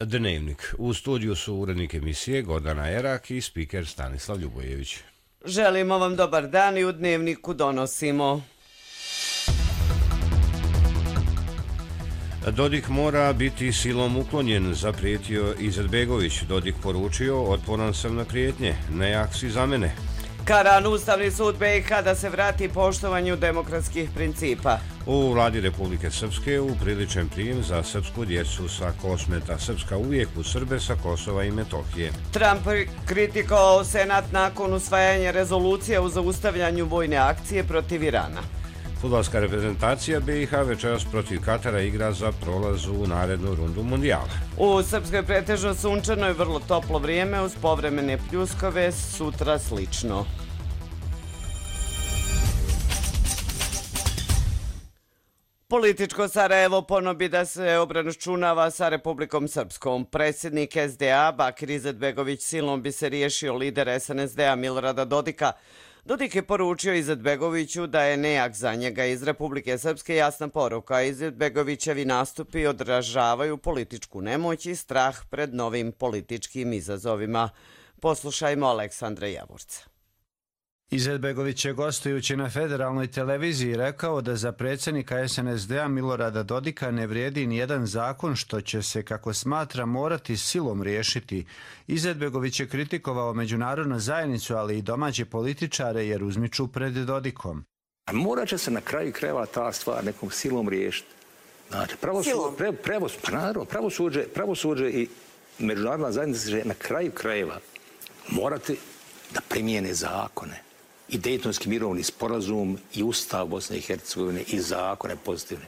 Dnevnik. U studiju su urednik emisije Gordana Erak i spiker Stanislav Ljubojević. Želimo vam dobar dan i u Dnevniku donosimo. Dodik mora biti silom uklonjen, zaprijetio Izetbegović. Dodik poručio, otporan sam na prijetnje, nejak si za mene. Karan Ustavni sud BiH da se vrati poštovanju demokratskih principa. U vladi Republike Srpske upriličen prijem za srpsku djecu sa Kosmeta. Srpska uvijek u Srbe sa Kosova i Metohije. Trump kritikovao Senat nakon usvajanja rezolucije o zaustavljanju vojne akcije protiv Irana. Fudbalska reprezentacija BiH večeras protiv Katara igra za prolaz u narednu rundu mundijala. U Srpskoj pretežno sunčano i vrlo toplo vrijeme uz povremene pljuskove, sutra slično. Političko Sarajevo ponobi da se obračunava sa Republikom Srpskom. Predsjednik SDA Bakir Izetbegović silom bi se riješio lider SNSD-a Milorada Dodika. Dodik je poručio Izetbegoviću da je nejak za njega. Iz Republike Srpske jasna poruka. Izetbegovićevi nastupi odražavaju političku nemoć i strah pred novim političkim izazovima. Poslušajmo Aleksandra Javorca. Izetbegović je gostujući na federalnoj televiziji rekao da za predsjednika SNSD-a Milorada Dodika ne vrijedi nijedan zakon što će se, kako smatra, morati silom riješiti. Izetbegović je kritikovao međunarodnu zajednicu, ali i domaće političare jer uzmiču pred Dodikom. Morat će se na kraju krajeva ta stvar nekom silom riješiti. Znači, pravosuđe i međunarodna zajednica će na kraju krajeva morati da primijene zakone. I Dejtonski mirovni sporazum, i Ustav Bosne i Hercegovine, i zakone pozitivne.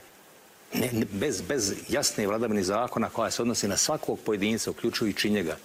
Bez jasne vladavine zakona koja se odnosi na svakog pojedinca, uključujući njega,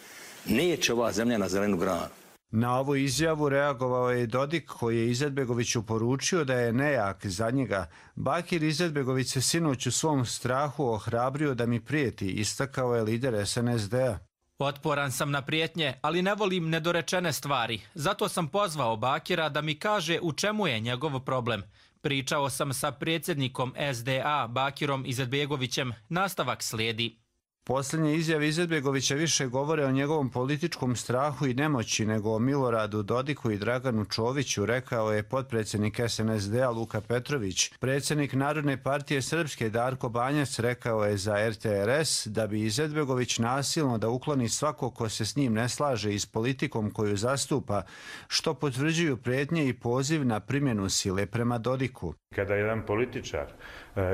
neće ova zemlja na zelenu granu. Na ovu izjavu reagovao je i Dodik, koji je Izetbegoviću poručio da je nejak za njega. Bakir Izetbegović se sinoć u svom strahu ohrabrio da mi prijeti, istakao je lider SNSD-a. Otporan sam na prijetnje, ali ne volim nedorečene stvari. Zato sam pozvao Bakira da mi kaže u čemu je njegov problem. Pričao sam sa predsjednikom SDA Bakirom Izetbegovićem. Nastavak slijedi. Posljednje izjave Izetbegovića više govore o njegovom političkom strahu i nemoći nego o Miloradu Dodiku i Draganu Čoviću, rekao je potpredsjednik SNSD-a Luka Petrović. Predsjednik Narodne partije Srpske Darko Banjac rekao je za RTRS da bi Izetbegović nasilno da ukloni svako ko se s njim ne slaže i s politikom koju zastupa, što potvrđuju prijetnje i poziv na primjenu sile prema Dodiku. Kada jedan političar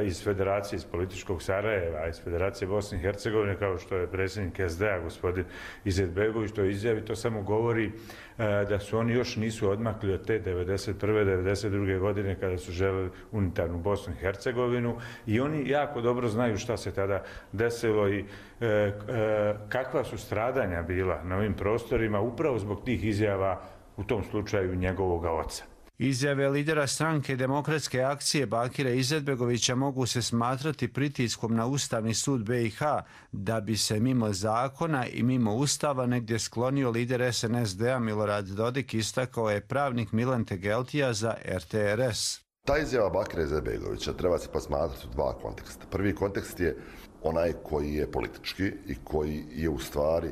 iz Federacije, iz političkog Sarajeva, iz Federacije Bosne i Hercegovine, kao što je predsjednik SDA, gospodin Izetbegović, to izjavi, to samo govori da su oni još nisu odmakli od te 1991. 1992. godine kada su želeli unitarnu Bosnu i Hercegovinu i oni jako dobro znaju šta se tada desilo i kakva su stradanja bila na ovim prostorima upravo zbog tih izjava, u tom slučaju njegovog oca. Izjave lidera stranke Demokratske akcije Bakira Izetbegovića mogu se smatrati pritiskom na Ustavni sud BiH da bi se mimo zakona i mimo Ustava negdje sklonio lider SNSD-a Milorad Dodik, istakao je pravnik Milan Tegeltija za RTRS. Ta izjava Bakira Izetbegovića treba se posmatrati u dva konteksta. Prvi kontekst je onaj koji je politički i koji je u stvari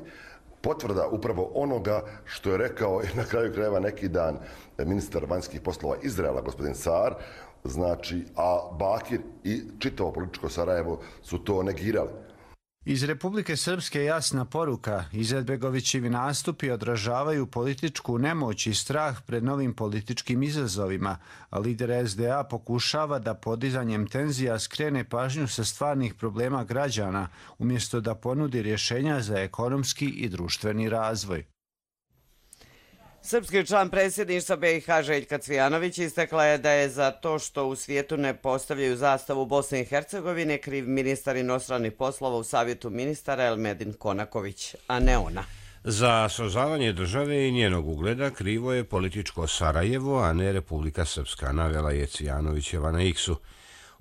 potvrda upravo onoga što je rekao na kraju krajeva neki dan ministar vanjskih poslova Izraela, gospodin Saar, znači, a Bakir i čitavo političko Sarajevo su to negirali. Iz Republike Srpske jasna poruka. Izetbegovićevi nastupi odražavaju političku nemoć i strah pred novim političkim izazovima, a lider SDA pokušava da podizanjem tenzija skrene pažnju sa stvarnih problema građana, umjesto da ponudi rješenja za ekonomski i društveni razvoj. Srpski član predsjedništva BiH Željka Cvijanović istakla je da je za to što u svijetu ne postavljaju zastavu Bosne i Hercegovine kriv ministar inostranih poslova u Savjetu ministara Elmedin Konaković, a ne ona. Za srozavanje države i njenog ugleda krivo je političko Sarajevo, a ne Republika Srpska, navela je Cvijanovićeva na X-u.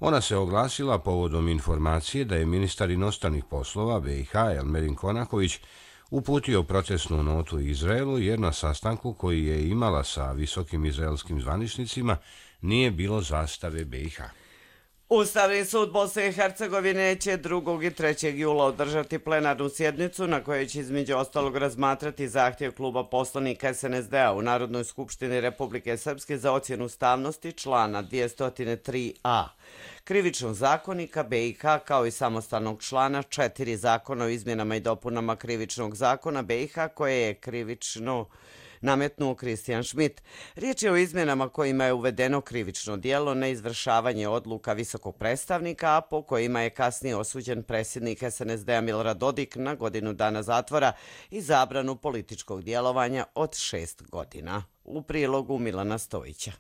Ona se oglasila povodom informacije da je ministar inostranih poslova BiH Elmedin Konaković uputio procesnu notu Izraelu jer na sastanku koji je imala sa visokim izraelskim zvaničnicima nije bilo zastave BiH. Ustavni sud Bosne i Hercegovine će 2. i 3. jula održati plenarnu sjednicu na kojoj će između ostalog razmatrati zahtjev kluba poslanika SNSD-a u Narodnoj skupštini Republike Srpske za ocjenu ustavnosti člana 203a Krivičnog zakonika BiH kao i samostalnog člana 4 zakona o izmjenama i dopunama Krivičnog zakona BiH koje je krivično nametnuo Kristijan Šmit. Riječ je o izmjenama kojima je uvedeno krivično djelo na izvršavanje odluka visokog predstavnika, a po kojima je kasnije osuđen predsjednik SNSD-a Milorad Dodik na godinu dana zatvora i zabranu političkog djelovanja od 6 godina. U prilogu Milana Stojića.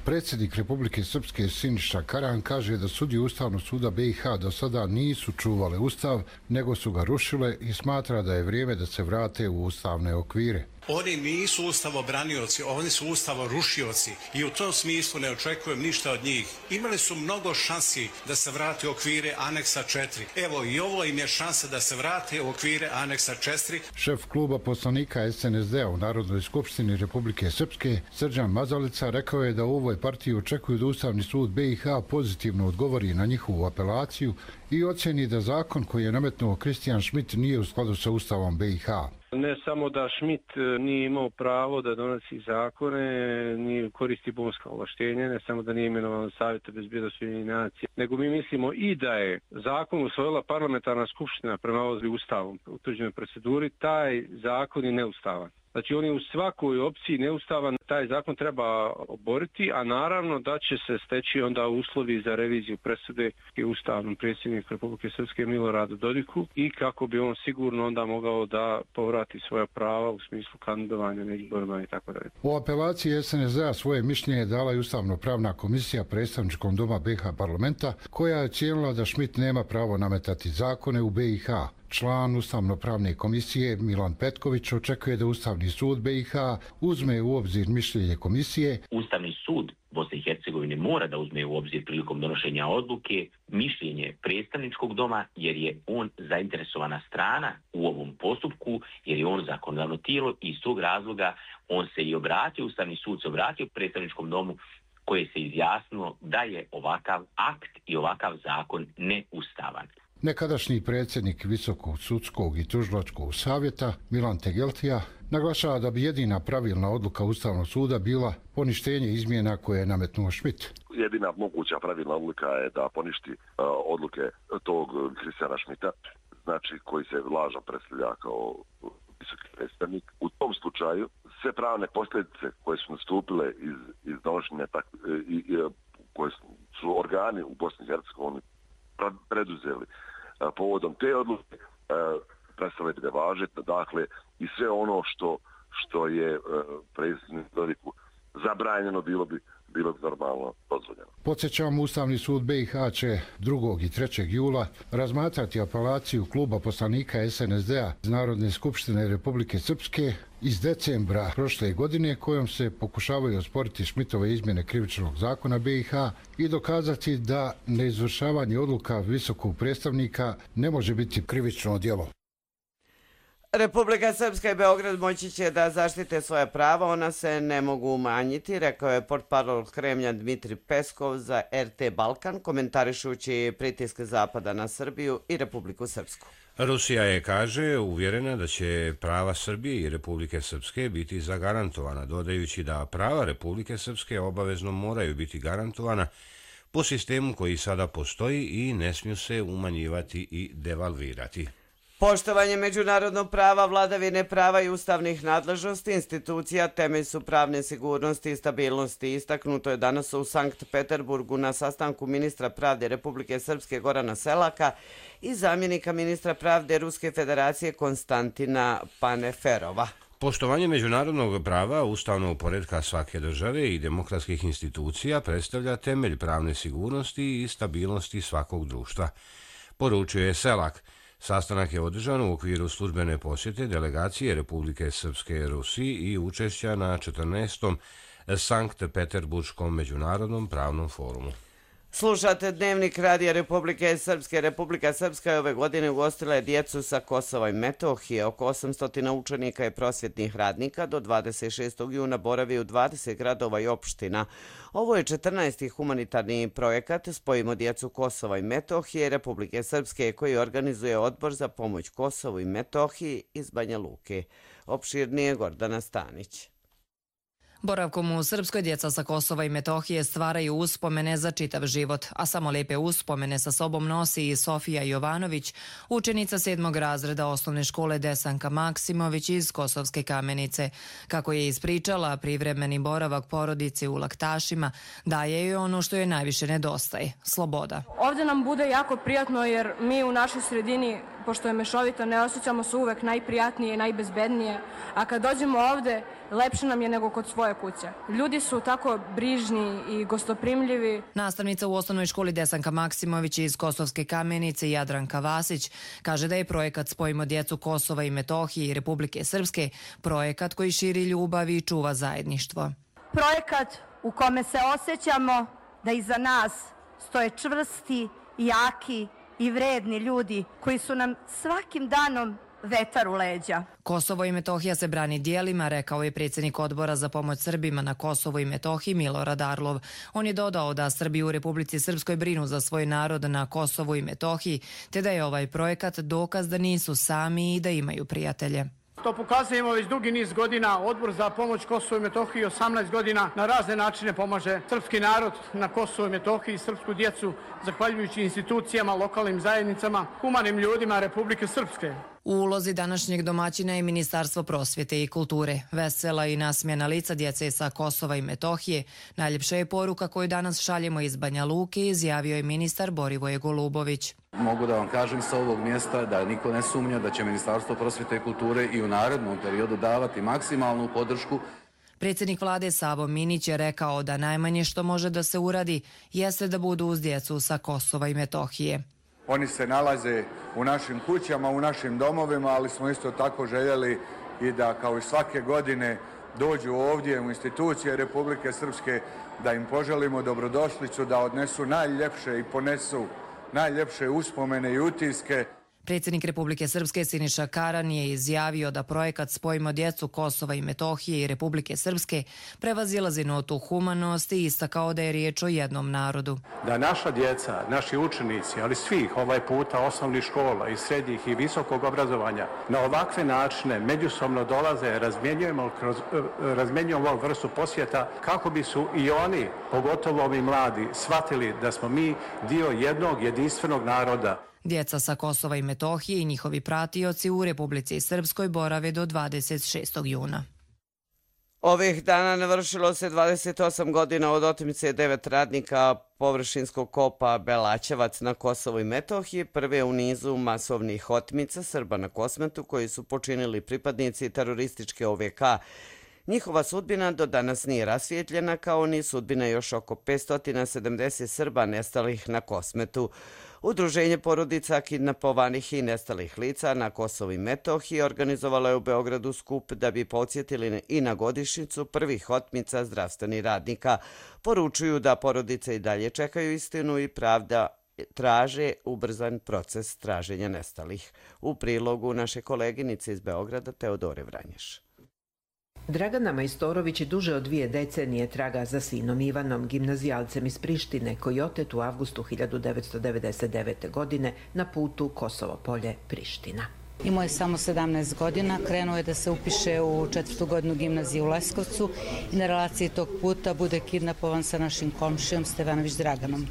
Predsjednik Republike Srpske Siniša Karan kaže da sudije Ustavnog suda BiH do sada nisu čuvale Ustav, nego su ga rušile i smatra da je vrijeme da se vrate u ustavne okvire. Oni nisu ustavobranioci, oni su ustavorušioci i u tom smislu ne očekujem ništa od njih. Imali su mnogo šansi da se vrate u okvire aneksa 4. Evo i ovo im je šansa da se vrate u okvire aneksa 4. Šef kluba poslanika SNSD-a u Narodnoj skupštini Republike Srpske, Srđan Mazalica, rekao je da u ovoj partiji očekuju da Ustavni sud BiH pozitivno odgovori na njihovu apelaciju i ocjeni da zakon koji je nametnuo Kristijan Šmit nije u skladu sa Ustavom BiH. Ne samo da Šmit nije imao pravo da donosi zakone, nije koristi bonska ovlaštenja, ne samo da nije imenovan Savjeta bezbjednosti Ujedinjenih nacija, nego mi mislimo i da je zakon usvojila parlamentarna skupština prema Ustavom utvrđenoj proceduri, taj zakon je neustavan. Znači on je u svakoj opciji neustavan, taj zakon treba oboriti, a naravno da će se steći onda uslovi za reviziju presude i ustavnom predsjedniku Republike Srpske Miloradu Dodiku i kako bi on sigurno onda mogao da povrati svoja prava u smislu kandidovanja na izborima i tako dalje. U apelaciji SNSD-a svoje mišljenje dala i Ustavno-pravna komisija predstavničkom doma BiH parlamenta, koja je ocijenila da Šmit nema pravo nametati zakone u BiH. Član Ustavno-pravne komisije Milan Petković očekuje da Ustavni sud BiH uzme u obzir mišljenje komisije. Ustavni sud Bosne i Hercegovine mora da uzme u obzir prilikom donošenja odluke mišljenje predstavničkog doma jer je on zainteresovana strana u ovom postupku, jer je on zakonodavno tijelo i iz tog razloga on se i obratio, Ustavni sud se obratio predstavničkom domu koje se izjasnilo da je ovakav akt i ovakav zakon neustavan. Nekadašnji predsjednik Visokog sudskog i tužilačkog savjeta Milan Tegeltija naglašava da bi jedina pravilna odluka Ustavnog suda bila poništenje izmjena koje je nametnuo Šmit. Jedina moguća pravilna odluka je da poništi odluke tog Kristijana Šmita, znači koji se lažno predstavlja kao visoki predstavnik. U tom slučaju sve pravne posljedice koje su nastupile iz donošenja koje su organi u Bosni i Hercegovini preduzeli povodom te odluke prestale bi da važe, dakle i sve ono što je predsjedniku Dodiku zabranjeno bilo bi normalno dozvoljeno. Podsjećamo, Ustavni sud BiH će 2. i 3. jula razmatrati apelaciju kluba poslanika SNSD-a iz Narodne skupštine Republike Srpske iz decembra prošle godine, kojom se pokušavaju osporiti Šmitove izmjene krivičnog zakona BiH i dokazati da neizvršavanje odluka visokog predstavnika ne može biti krivično djelo. Republika Srpska i Beograd moći će da zaštite svoje prava, ona se ne mogu umanjiti, rekao je portparol Kremlja Dmitri Peskov za RT Balkan, komentarišući pritiske Zapada na Srbiju i Republiku Srpsku. Rusija je, kaže, uvjerena da će prava Srbije i Republike Srpske biti zagarantovana, dodajući da prava Republike Srpske obavezno moraju biti garantovana po sistemu koji sada postoji i ne smiju se umanjivati i devalvirati. Poštovanje međunarodnog prava, vladavine prava i ustavnih nadležnosti institucija temelj su pravne sigurnosti i stabilnosti. Istaknuto je danas u Sankt Peterburgu na sastanku ministra pravde Republike Srpske Gorana Selaka i zamjenika ministra pravde Ruske federacije Konstantina Paneferova. Poštovanje međunarodnog prava, ustavnog poretka svake države i demokratskih institucija predstavlja temelj pravne sigurnosti i stabilnosti svakog društva, poručuje je Selak. Sastanak je održan u okviru službene posjete delegacije Republike Srpske Rusiji i učešća na 14. Sankt Peterburškom međunarodnom pravnom forumu. Slušate Dnevnik Radija Republike Srpske. Republika Srpska je ove godine ugostila djecu sa Kosova i Metohije. Oko 800 učenika i prosvjetnih radnika do 26. juna boravi u 20 gradova i opština. Ovo je 14. humanitarni projekat Spojimo djecu Kosova i Metohije Republike Srpske koji organizuje Odbor za pomoć Kosovu i Metohiji iz Banja Luke. Opširnije Gordana Stanić. Boravkom u Srpskoj djeca sa Kosova i Metohije stvaraju uspomene za čitav život, a samo lijepe uspomene sa sobom nosi i Sofija Jovanović, učenica 7. razreda osnovne škole Desanka Maksimović iz Kosovske Kamenice. Kako je ispričala, privremeni boravak porodice u Laktašima daje joj ono što joj najviše nedostaje – sloboda. Ovdje nam bude jako prijatno jer mi u našoj sredini, pošto je mešovito, ne osjećamo se uvek najprijatnije i najbezbednije, a kad dođemo ovdje, lepše nam je nego kod svoje kuće. Ljudi su tako brižni i gostoprimljivi. Nastavnica u osnovnoj školi Desanka Maksimović iz Kosovske Kamenice Jadranka Vasić kaže da je projekat Spojimo djecu Kosova i Metohije i Republike Srpske projekat koji širi ljubav i čuva zajedništvo. Projekat u kome se osjećamo da iza nas stoje čvrsti, jaki i vredni ljudi koji su nam svakim danom vetar u leđa. Kosovo i Metohija se brani dijelima, rekao je predsjednik Odbora za pomoć Srbima na Kosovu i Metohiji Milorad Arlov. On je dodao da Srbi u Republici Srpskoj brinu za svoj narod na Kosovu i Metohiji, te da je ovaj projekat dokaz da nisu sami i da imaju prijatelje. To pokazujemo već dugi niz godina. Odbor za pomoć Kosovu i Metohiji 18 godina na razne načine pomaže srpski narod na Kosovu i Metohiji, srpsku djecu, zahvaljujući institucijama, lokalnim zajednicama, humanim ljudima Republike Srpske. U ulozi današnjeg domaćina je Ministarstvo prosvjete i kulture. Vesela i nasmijana lica djece sa Kosova i Metohije. Najljepša je poruka koju danas šaljemo iz Banja Luke, izjavio je ministar Borivoje Golubović. Mogu da vam kažem sa ovog mjesta da niko ne sumnja da će Ministarstvo prosvjete i kulture i u narednom periodu davati maksimalnu podršku. Predsjednik vlade Savo Minić je rekao da najmanje što može da se uradi jeste da budu uz djecu sa Kosova i Metohije. Oni se nalaze u našim kućama, u našim domovima, ali smo isto tako željeli i da kao i svake godine dođu ovdje u institucije Republike Srpske, da im poželimo dobrodošlicu, da odnesu najljepše i ponesu najljepše uspomene i utiske. Predsjednik Republike Srpske Siniša Karan je izjavio da projekat Spojimo djecu Kosova i Metohije i Republike Srpske prevazilazi notu humanosti i istakao da je riječ o jednom narodu. Da naša djeca, naši učenici, ali svih ovaj puta osnovnih škola i srednjih i visokog obrazovanja na ovakve načine međusobno dolaze, razmjenjujemo ovu vrstu posjeta kako bi su i oni, pogotovo ovi mladi, shvatili da smo mi dio jednog jedinstvenog naroda. Djeca sa Kosova i Metohije i njihovi pratioci u Republici Srpskoj borave do 26. juna. Ovih dana navršilo se 28 godina od otmice 9 radnika površinskog kopa Belaćevac na Kosovu i Metohiji, prve u nizu masovnih otmica Srba na Kosmetu koji su počinili pripadnici terorističke OVK. Njihova sudbina do danas nije rasvijetljena, kao ni sudbina još oko 570 Srba nestalih na Kosmetu. Udruženje porodica kidnapovanih i nestalih lica na Kosovu i Metohiji organizovalo je u Beogradu skup da bi podsjetili i na godišnjicu prvih otmica zdravstvenih radnika. Poručuju da porodice i dalje čekaju istinu i pravda traže ubrzan proces traženja nestalih. U prilogu naše koleginice iz Beograda Teodore Vranješ. Dragana Majstorović duže od 2 decenije traga za sinom Ivanom, gimnazijalcem iz Prištine, koji je otet u avgustu 1999. godine na putu Kosovo Polje-Priština. Imao je samo 17 godina, krenuo je da se upiše u 4. godinu gimnazije u Leskovcu i na relaciji tog puta bude kidnapovan sa našim komšijom Stevanović Draganom.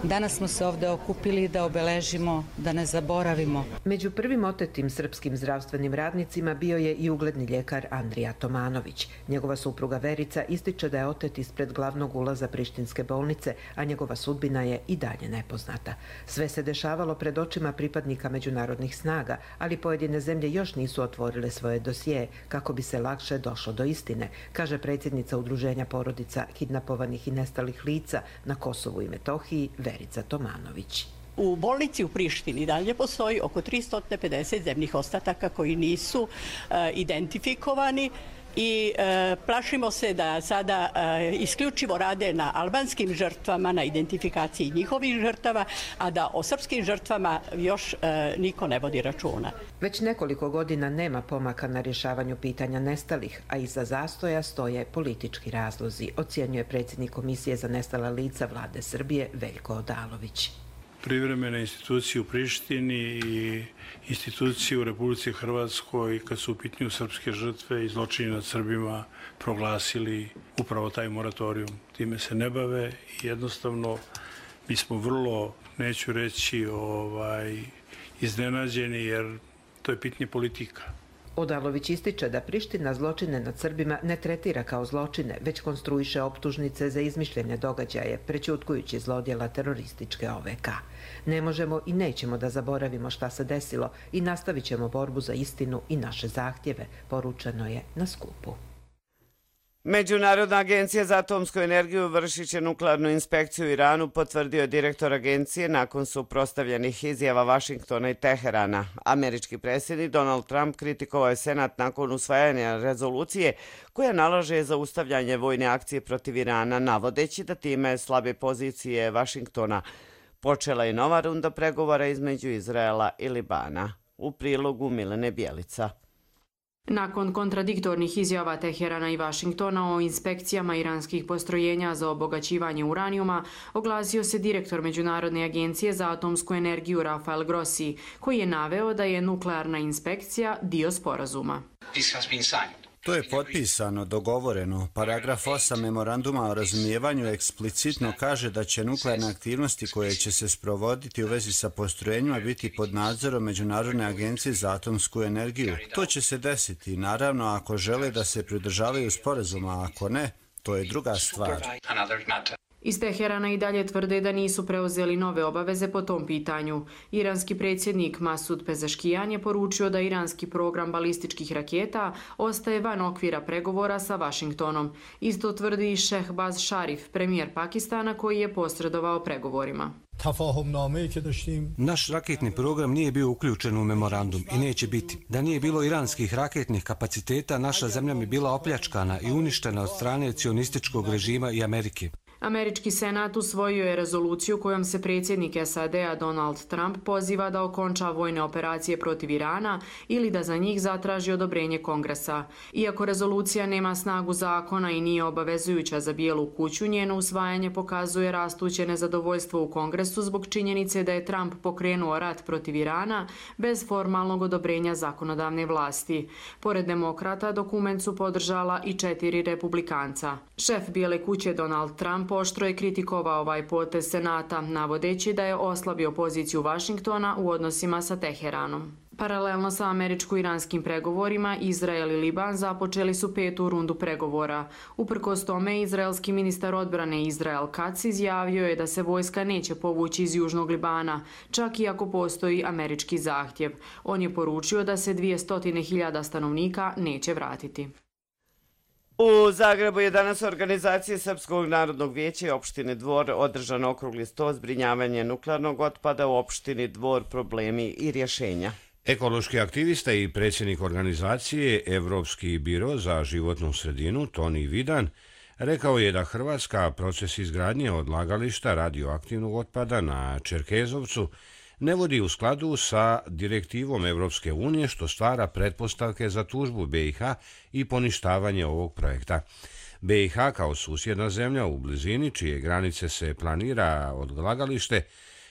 Danas smo se ovdje okupili da obeležimo, da ne zaboravimo. Među prvim otetim srpskim zdravstvenim radnicima bio je i ugledni ljekar Andrija Tomanović. Njegova supruga Verica ističe da je otet ispred glavnog ulaza Prištinske bolnice, a njegova sudbina je i dalje nepoznata. Sve se dešavalo pred očima pripadnika međunarodnih snaga, ali pojedine zemlje još nisu otvorile svoje dosije kako bi se lakše došlo do istine, kaže predsjednica Udruženja porodica kidnapovanih i nestalih lica na Kosovu i Metohiji Verica Tomanović. U bolnici u Prištini dalje postoji oko 350 zemnih ostataka koji nisu identifikovani. i plašimo se da sada isključivo rade na albanskim žrtvama, na identifikaciji njihovih žrtava, a da o srpskim žrtvama još niko ne vodi računa. Već nekoliko godina nema pomaka na rješavanju pitanja nestalih, a iza zastoja stoje politički razlozi, ocjenjuje predsjednik Komisije za nestala lica Vlade Srbije Veljko Odalović. Privremene institucije u Prištini i institucije u Republici Hrvatskoj, kad su u pitanju srpske žrtve i zločini nad Srbima, proglasili upravo taj moratorijum. Time se ne bave i jednostavno mi smo vrlo, neću reći, iznenađeni jer to je pitanje politika. Odalović ističe da Priština zločine nad Srbima ne tretira kao zločine, već konstruiše optužnice za izmišljene događaje, prećutkujući zlodjela terorističke OVK. Ne možemo i nećemo da zaboravimo šta se desilo i nastavit ćemo borbu za istinu i naše zahtjeve, poručeno je na skupu. Međunarodna agencija za atomsku energiju vršit će nuklearnu inspekciju u Iranu, potvrdio je direktor agencije nakon suprotstavljenih izjava Vašingtona i Teherana. Američki predsjednik Donald Trump kritikovao je Senat nakon usvajanja rezolucije koja nalaže zaustavljanje vojne akcije protiv Irana, navodeći da time slabe pozicije Vašingtona. Počela je nova runda pregovora između Izraela i Libana. U prilogu Milene Bjelica. Nakon kontradiktornih izjava Teherana i Vašingtona o inspekcijama iranskih postrojenja za obogaćivanje uranijuma, oglasio se direktor Međunarodne agencije za atomsku energiju Rafael Grossi, koji je naveo da je nuklearna inspekcija dio sporazuma. To je potpisano, dogovoreno. Paragraf 8 memoranduma o razumijevanju eksplicitno kaže da će nuklearne aktivnosti koje će se sprovoditi u vezi sa postrojenjima biti pod nadzorom Međunarodne agencije za atomsku energiju. To će se desiti, naravno, ako žele da se pridržavaju sporazuma, a ako ne, to je druga stvar. Iz Teherana i dalje tvrde da nisu preuzeli nove obaveze po tom pitanju. Iranski predsjednik Masud Pezeškijan je poručio da iranski program balističkih raketa ostaje van okvira pregovora sa Vašingtonom. Isto tvrdi i Šehbaz Šarif, premijer Pakistana, koji je posredovao pregovorima. Naš raketni program nije bio uključen u memorandum i neće biti. Da nije bilo iranskih raketnih kapaciteta, naša zemlja bi bila opljačkana i uništena od strane cionističkog režima i Amerike. Američki senat usvojio je rezoluciju kojom se predsjednik SAD-a Donald Trump poziva da okonča vojne operacije protiv Irana ili da za njih zatraži odobrenje Kongresa. Iako rezolucija nema snagu zakona i nije obavezujuća za Bijelu kuću, njeno usvajanje pokazuje rastuće nezadovoljstvo u Kongresu zbog činjenice da je Trump pokrenuo rat protiv Irana bez formalnog odobrenja zakonodavne vlasti. Pored demokrata, dokument su podržala i 4 republikanca. Šef Bijele kuće Donald Trump oštro je kritikovao ovaj potez Senata, navodeći da je oslabio poziciju Vašingtona u odnosima sa Teheranom. Paralelno sa američko-iranskim pregovorima, Izrael i Liban započeli su 5. rundu pregovora. Uprkos tome, izraelski ministar odbrane Israel Katz izjavio je da se vojska neće povući iz Južnog Libana, čak i ako postoji američki zahtjev. On je poručio da se 200.000 stanovnika neće vratiti. U Zagrebu je danas u organizaciji Srpskog narodnog vijeća i opštine Dvor održan okrugli sto zbrinjavanje nuklearnog otpada u opštini Dvor, problemi i rješenja. Ekološki aktivista i predsjednik organizacije Evropski biro za životnu sredinu Toni Vidan rekao je da Hrvatska proces izgradnje odlagališta radioaktivnog otpada na Čerkezovcu ne vodi u skladu sa direktivom Evropske unije, što stvara pretpostavke za tužbu BiH i poništavanje ovog projekta. BiH kao susjedna zemlja u blizini čije granice se planira odlagalište,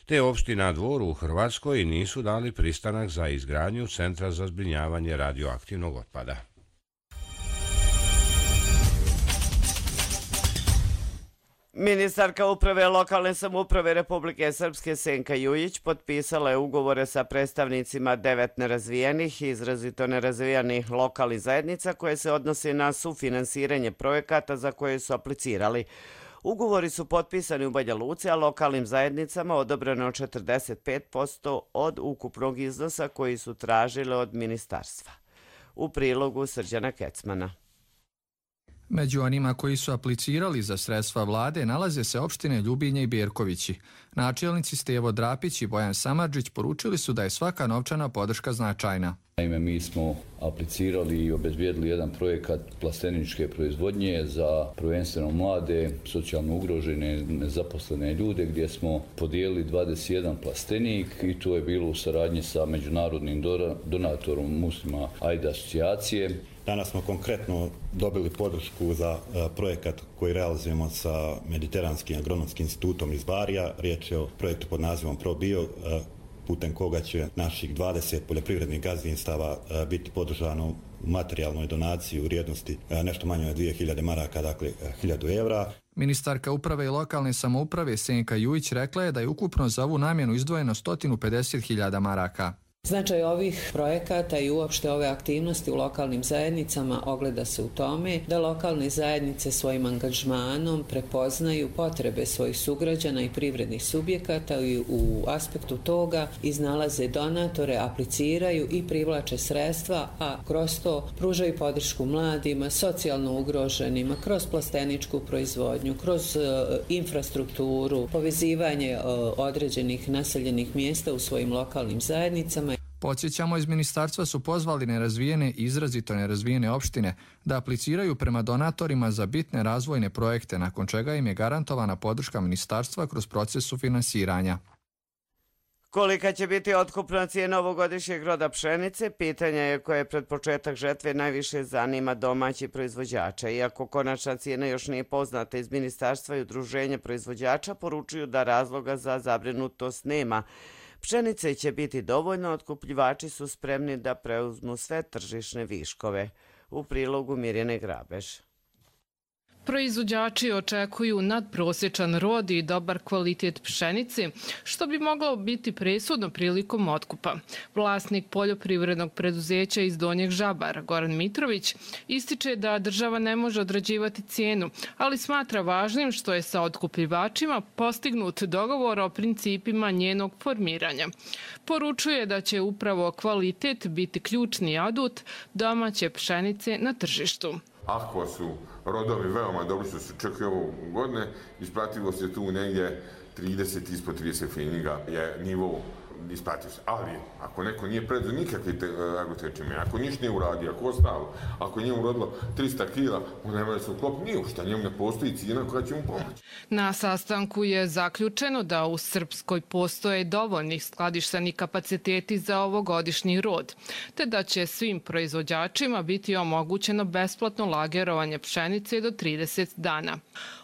te opština Dvor u Hrvatskoj nisu dali pristanak za izgradnju centra za zbrinjavanje radioaktivnog otpada. Ministarka uprave lokalne samouprave Republike Srpske Senka Jujić potpisala je ugovore sa predstavnicima 9 nerazvijenih i izrazito nerazvijenih lokalnih zajednica koje se odnose na sufinansiranje projekata za koje su aplicirali. Ugovori su potpisani u Banja Luci, a lokalnim zajednicama odobreno 45% od ukupnog iznosa koji su tražile od ministarstva. U prilogu Srđana Kecmana. Među onima koji su aplicirali za sredstva vlade nalaze se opštine Ljubinje i Bjerkovići. Načelnici Stevo Drapić i Bojan Samardžić poručili su da je svaka novčana podrška značajna. Naime, mi smo aplicirali i obezbijedili jedan projekat plasteničke proizvodnje za prvenstveno mlade, socijalno ugrožene, nezaposlene ljude, gdje smo podijelili 21 plastenik i to je bilo u saradnji sa međunarodnim donatorom Muslima Aida asocijacije. Danas smo konkretno dobili podršku za projekat koji realizujemo sa Mediteranskim agronomskim institutom iz Barija. Riječ je o projektu pod nazivom ProBio, putem koga će naših 20 poljoprivrednih gazdinstava biti podržano u materijalnoj donaciji u vrijednosti nešto manje od 2000 maraka, dakle 1000 evra. Ministarka uprave i lokalne samouprave Senka Jujić rekla je da je ukupno za ovu namjenu izdvojeno 150.000 maraka. Značaj ovih projekata i uopšte ove aktivnosti u lokalnim zajednicama ogleda se u tome da lokalne zajednice svojim angažmanom prepoznaju potrebe svojih sugrađana i privrednih subjekata i u aspektu toga iznalaze donatore, apliciraju i privlače sredstva, a kroz to pružaju podršku mladima, socijalno ugroženima, kroz plasteničku proizvodnju, kroz infrastrukturu, povezivanje određenih naseljenih mjesta u svojim lokalnim zajednicama. Podsjećamo, iz ministarstva su pozvali nerazvijene i izrazito nerazvijene opštine da apliciraju prema donatorima za bitne razvojne projekte, nakon čega im je garantovana podrška ministarstva kroz proces sufinansiranja. Kolika će biti otkupna cijena ovogodišnjeg roda pšenice, pitanje je koje pred početak žetve najviše zanima domaći proizvođača. Iako konačna cijena još nije poznata, iz ministarstva i udruženja proizvođača poručuju da razloga za zabrinutost nema. Pšenice će biti dovoljno, otkupljivači su spremni da preuzmu sve tržišne viškove. U prilogu Mirjane Grabež. Proizvođači očekuju nadprosječan rod i dobar kvalitet pšenice, što bi moglo biti presudno prilikom otkupa. Vlasnik poljoprivrednog preduzeća iz Donjeg Žabara, Goran Mitrović, ističe da država ne može određivati cijenu, ali smatra važnim što je sa otkupljivačima postignut dogovor o principima njenog formiranja. Poručuje da će upravo kvalitet biti ključni adut domaće pšenice na tržištu. Ako su rodovi veoma dobro što se čekaju ovo godine, isplativost je tu negdje 30, ispod 30 feninga je nivo isplativosti. Ali ako neko nije predao nikakve agrotečime, ako ništa nije uradio, ako ostalo, ako je njemu urodilo 300 kila, on nema da se uklop nije ušta, njemu ne postoji cijena koja će mu pomoći. Na sastanku je zaključeno da u Srpskoj postoje dovoljnih skladišteni kapaciteti za ovogodišnji rod, te da će svim proizvođačima biti omogućeno besplatno lagerovanje pšenice do 30 dana.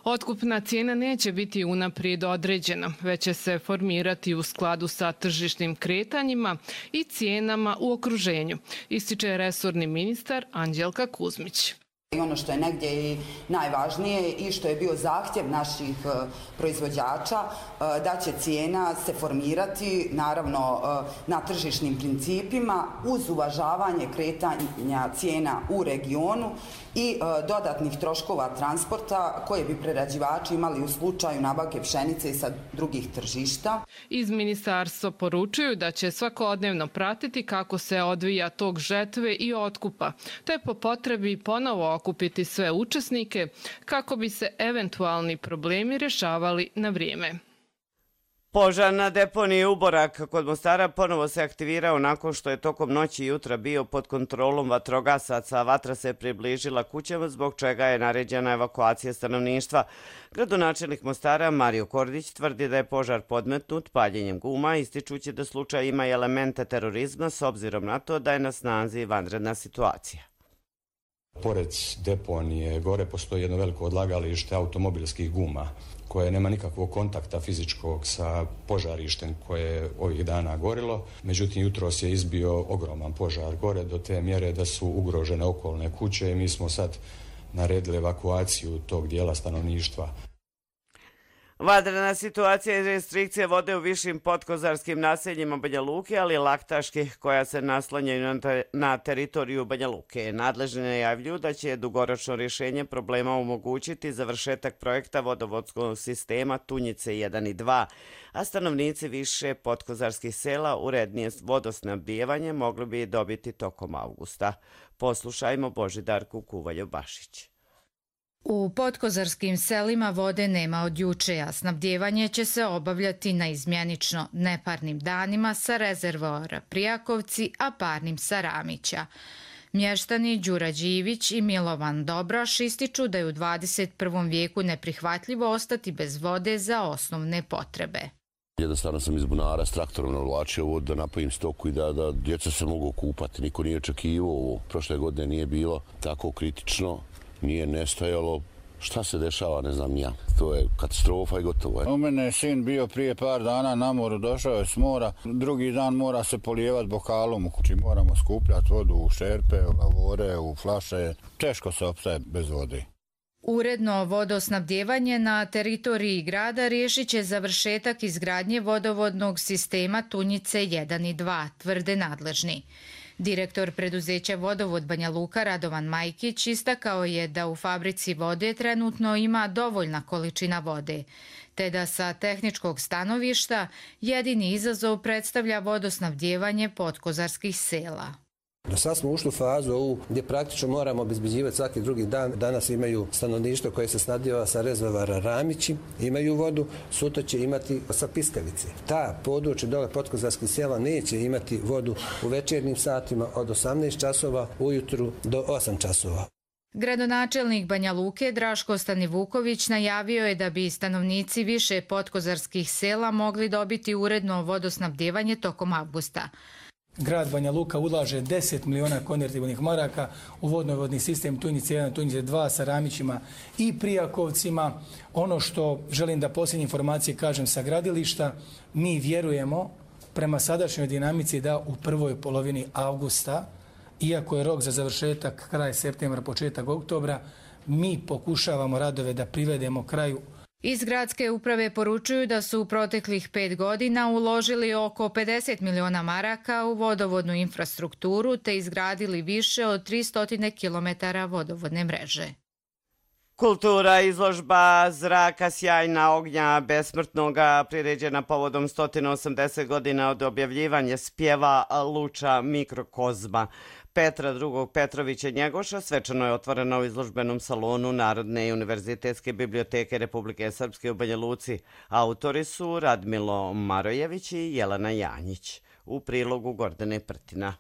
Otkupna cijena neće biti unaprijed određena, već će se formirati u skladu sa tržišnim kretanjima i cijenama u okruženju, ističe resorni ministar Anđelka Kuzmić. I ono što je negdje i najvažnije i što je bio zahtjev naših proizvođača, da će cijena se formirati naravno na tržišnim principima uz uvažavanje kretanja cijena u regionu i dodatnih troškova transporta koje bi prerađivači imali u slučaju nabavke pšenice sa drugih tržišta. Iz ministarstva poručuju da će svakodnevno pratiti kako se odvija tok žetve i otkupa, te po potrebi ponovo okupiti sve učesnike kako bi se eventualni problemi rješavali na vrijeme. Požar na deponiji Uborak kod Mostara ponovo se aktivirao nakon što je tokom noći i jutra bio pod kontrolom vatrogasaca. Vatra se približila kućama, zbog čega je naređena evakuacija stanovništva. Gradonačelnik Mostara Mario Kordić tvrdi da je požar podmetnut paljenjem guma, ističući da slučaj ima elemente terorizma s obzirom na to da je na snazi vanredna situacija. Pored deponije gore postoji jedno veliko odlagalište automobilskih guma koje nema nikakvog kontakta fizičkog sa požarištem koje je ovih dana gorilo. Međutim, jutros je izbio ogroman požar gore do te mjere da su ugrožene okolne kuće i mi smo sad naredili evakuaciju tog dijela stanovništva. Vanredna situacija i restrikcije vode u višim podkozarskim naseljima Banja Luke, ali i Laktaških koja se naslanjaju na teritoriju Banja Luke. Nadležni najavljuju da će dugoročno rješenje problema omogućiti završetak projekta vodovodskog sistema Tunjice 1 i 2, a stanovnici više podkozarskih sela urednije vodosnabdijevanje mogli bi dobiti tokom avgusta. Poslušajmo Božidarku Kuvaljo-Bašić. U podkozarskim selima vode nema od juče, a snabdjevanje će se obavljati naizmjenično neparnim danima sa rezervoara Prijakovci, a parnim sa Ramića. Mještani Đura Đivić i Milovan Dobraš ističu da je u 21. vijeku neprihvatljivo ostati bez vode za osnovne potrebe. Jednostavno sam iz bunara s traktorom navlačio vodu da napojim stoku i da djeca se mogu kupati. Niko nije očekivao ovo. Prošle godine nije bilo tako kritično, nije nestajalo. Šta se dešava, ne znam ja. To je katastrofa i gotovo. U mene je sin bio prije par dana na moru, došao je s mora. Drugi dan mora se polijevati bokalom u kući. Moramo skupljati vodu u šerpe, u lavore, u flaše. Teško se opstaje bez vode. Uredno vodosnabdjevanje na teritoriji grada riješit će završetak izgradnje vodovodnog sistema Tunjice 1 i 2, tvrde nadležni. Direktor preduzeća Vodovod Banja Luka Radovan Majkić istakao je da u fabrici vode trenutno ima dovoljna količina vode, te da sa tehničkog stanovišta jedini izazov predstavlja vodosnabdjevanje podkozarskih sela. Do sad smo ušli u fazu ovu gdje praktično moramo obezbeđivati svaki drugi dan. Danas imaju stanovništvo koje se snabdijeva sa rezervoara Ramići, imaju vodu, sutra će imati sa Piskavice. Ta područje dole podkozarskih sela neće imati vodu u večernjim satima od 18 časova ujutru do 8 časova. Gradonačelnik Banja Luke Draško Stanivuković najavio je da bi stanovnici više podkozarskih sela mogli dobiti uredno vodosnabdjevanje tokom avgusta. Grad Banja Luka ulaže 10 miliona konvertibilnih maraka u vodnovodni sistem Tunjice 1, Tunjice 2 sa Ramićima i Prijakovcima. Ono što želim da posljednje informacije kažem sa gradilišta, mi vjerujemo prema sadašnjoj dinamici da u prvoj polovini avgusta, iako je rok za završetak kraj septembra, početak oktobra, mi pokušavamo radove da privedemo kraju. Iz gradske uprave poručuju da su u proteklih 5 godina uložili oko 50 miliona maraka u vodovodnu infrastrukturu te izgradili više od 300 km vodovodne mreže. Kultura, izložba Zraka sjajna ognja besmrtnoga priređena povodom 180 godina od objavljivanja spjeva Luča mikrokozma Petra II. Petrovića Njegoša svečano je otvorena u izložbenom salonu Narodne i univerzitetske biblioteke Republike Srpske u Banja Luci. Autori su Radmilo Marojević i Jelena Janjić. U prilogu Gordane Prtina.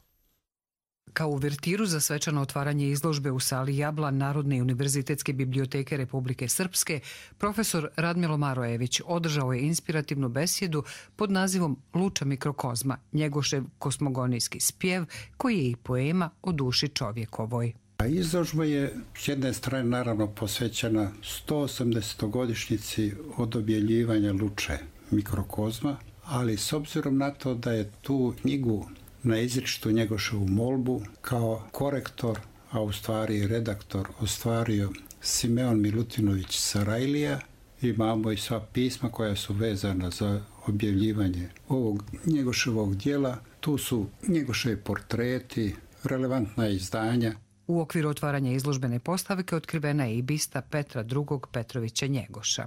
Kao uvertiru za svečano otvaranje izložbe u sali Jablan Narodne i univerzitetske biblioteke Republike Srpske, profesor Radmilo Marojević održao je inspirativnu besjedu pod nazivom Luča mikrokozma, Njegošev kosmogonijski spjev, koji je i poema o duši čovjekovoj. Izložba je s jedne strane naravno posvećena 180-godišnjici od objavljivanja Luče mikrokozma, ali s obzirom na to da je tu knjigu na izričitu Njegoševu molbu kao korektor, a u stvari redaktor ostvario Simeon Milutinović Sarajlija. Imamo i sva pisma koja su vezana za objavljivanje ovog Njegoševog djela. Tu su Njegoševi portreti, relevantna izdanja. U okviru otvaranja izložbene postavke otkrivena je i bista Petra II. Petrovića Njegoša.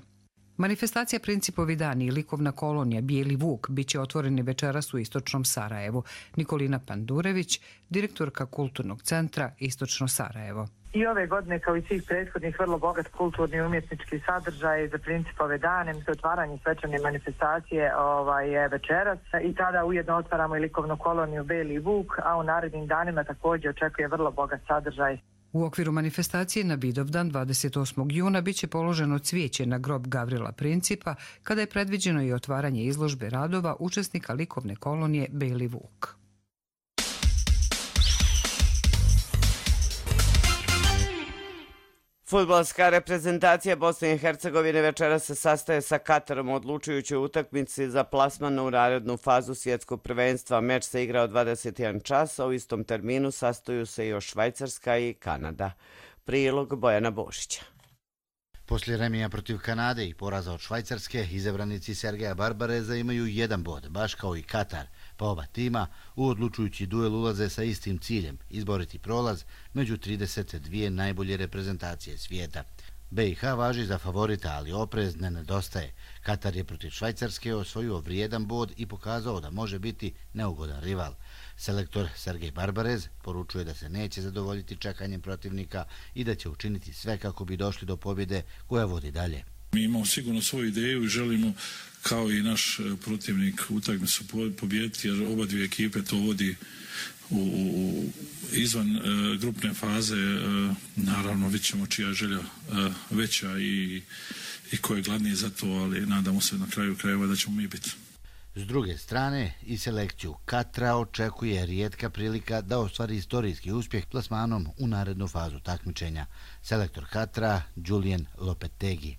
Manifestacija Principovi dani i likovna kolonija Bijeli Vuk biće otvoreni večeras u istočnom Sarajevu. Nikolina Pandurević, direktorka Kulturnog centra Istočno Sarajevo. I ove godine, kao i svih prethodnih, vrlo bogat kulturni i umjetnički sadržaj za Principove dane. Za otvaranje svečane manifestacije je večeras i tada ujedno otvaramo i likovnu koloniju Bijeli Vuk, a u narednim danima također očekuje vrlo bogat sadržaj. U okviru manifestacije na Vidovdan 28. juna biće položeno cvijeće na grob Gavrila Principa, kada je predviđeno i otvaranje izložbe radova učesnika likovne kolonije Bijeli Vuk. Fudbalska reprezentacija Bosne i Hercegovine večera se sastaje sa Katarom u odlučujućoj utakmici za plasman u narednu fazu svjetskog prvenstva. Meč se igra od 21 časa, u istom terminu sastaju se još Švajcarska i Kanada. Prilog Bojana Bošića. Poslije remija protiv Kanade i poraza od Švajcarske, izabranici Sergeja Barbareza imaju 1 bod, baš kao i Katar, pa oba tima u odlučujući duel ulaze sa istim ciljem, izboriti prolaz među 32 najbolje reprezentacije svijeta. BiH važi za favorita, ali oprez ne nedostaje. Katar je protiv Švajcarske osvojio vrijedan bod i pokazao da može biti neugodan rival. Selektor Sergej Barbarez poručuje da se neće zadovoljiti čekanjem protivnika i da će učiniti sve kako bi došli do pobjede koja vodi dalje. Mi imamo sigurno svoju ideju i želimo, kao i naš protivnik, utakmicu pobijediti, jer oba dvije ekipe to vodi izvan grupne faze. Naravno, vidjet ćemo čija je želja veća i ko je gladniji za to, ali nadamo se na kraju krajeva da ćemo mi biti. S druge strane, i selekciju Katra očekuje rijetka prilika da ostvari istorijski uspjeh plasmanom u narednu fazu takmičenja. Selektor Katra, Julian Lopetegui.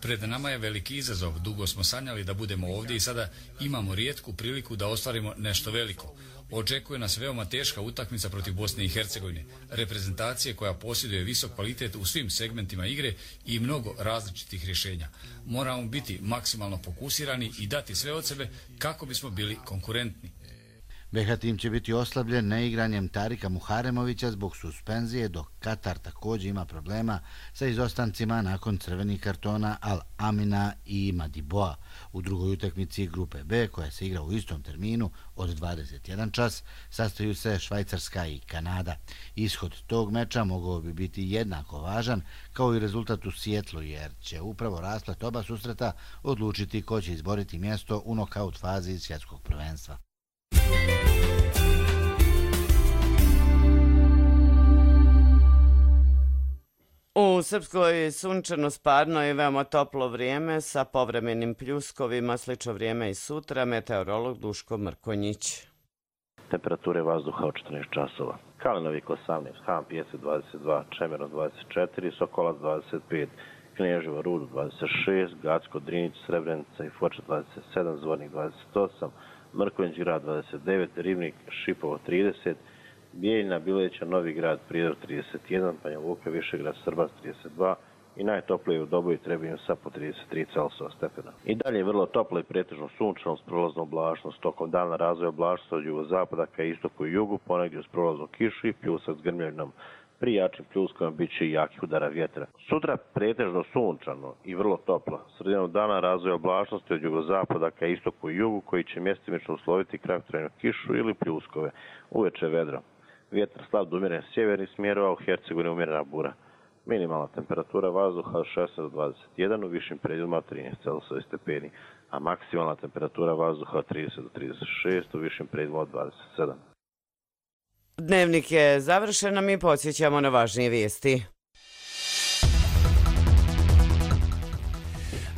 Pred nama je veliki izazov. Dugo smo sanjali da budemo ovdje i sada imamo rijetku priliku da ostvarimo nešto veliko. Očekuje nas veoma teška utakmica protiv Bosne i Hercegovine, reprezentacije koja posjeduje visok kvalitet u svim segmentima igre i mnogo različitih rješenja. Moramo biti maksimalno fokusirani i dati sve od sebe kako bismo bili konkurentni. BH tim će biti oslabljen neigranjem Tarika Muharemovića zbog suspenzije, dok Katar također ima problema sa izostancima nakon crvenih kartona Al Amina i Madiboa. U drugoj utakmici grupe B, koja se igra u istom terminu od 21 čas, sastaju se Švajcarska i Kanada. Ishod tog meča mogao bi biti jednako važan kao i rezultat u Sijetlu, jer će upravo rasplet oba susreta odlučiti ko će izboriti mjesto u nokaut fazi svjetskog prvenstva. U Srpskoj sunčano, sparno i veoma toplo vrijeme sa povremenim pljuskovima, slično vrijeme i sutra, meteorolog Duško Mrkonjić. Temperature vazduha od 14 časova. Kalinovik 18, Han Pijeset 22, Čemero 24, Sokolac 25, Knježevo Rudo 26, Gacko, Drinić, Srebrenica i Foča 27, Zvornik 28, Mrkonjić grad 29, Rivnik, Šipovo 30, Bijeljina, Bileća, Novi grad, Prijedor 31, Banja Luka, Višegrad, Srbac 32 i najtoplije u Doboju Trebinju sa po 33 Celsijusa stepena. I dalje vrlo toplo i pretežno sunčano s prolaznom oblačnost. Tokom dana razvoj oblačnosti od jugozapada ka istoku i jugu, ponegdje uz prolaznu kišu i pljusak s grmljavinom. Pri jačim pljuskovima bit će i jakih udara vjetra. Sutra pretežno sunčano i vrlo toplo. Sredinom dana razvoj oblačnosti od jugozapada ka istoku i jugu, koji će mjestimično usloviti kratkotrajnu kišu ili pljuskove. Uveče vedro. Vjetar slab do umjeren sjevernih smjerova, u Hercegovini umjerena bura. Minimalna temperatura vazduha od 16 do 21, u višim predjelima od 13 Celsijusa stepeni, a maksimalna temperatura vazduha od 30 do 36, u višim predjelima od 27. Dnevnik je završen, a mi podsjećamo na važnije vijesti.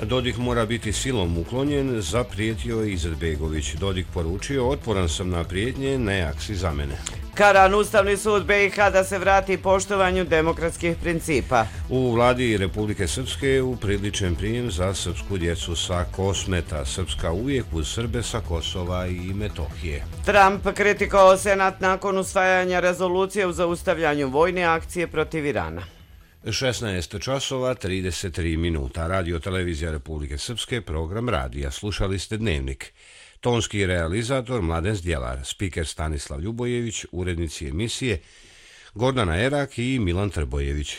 Dodik mora biti silom uklonjen, zaprijetio je Izetbegović. Dodik poručio, otporan sam na prijetnje, ne aksi za mene. Karan Ustavni sud BiH da se vrati poštovanju demokratskih principa. U vladi Republike Srpske upriličen prijem za srpsku djecu sa Kosmeta. Srpska uvijek uz Srbe sa Kosova i Metohije. Trump kritikao Senat nakon usvajanja rezolucije u zaustavljanju vojne akcije protiv Irana. 16 časova 33 minuta. Radio Televizija Republike Srpske, program radija. Slušali ste Dnevnik. Tonski realizator Mladen Zdjelar, spiker Stanislav Ljubojević, urednici emisije Gordana Erak i Milan Trbojević.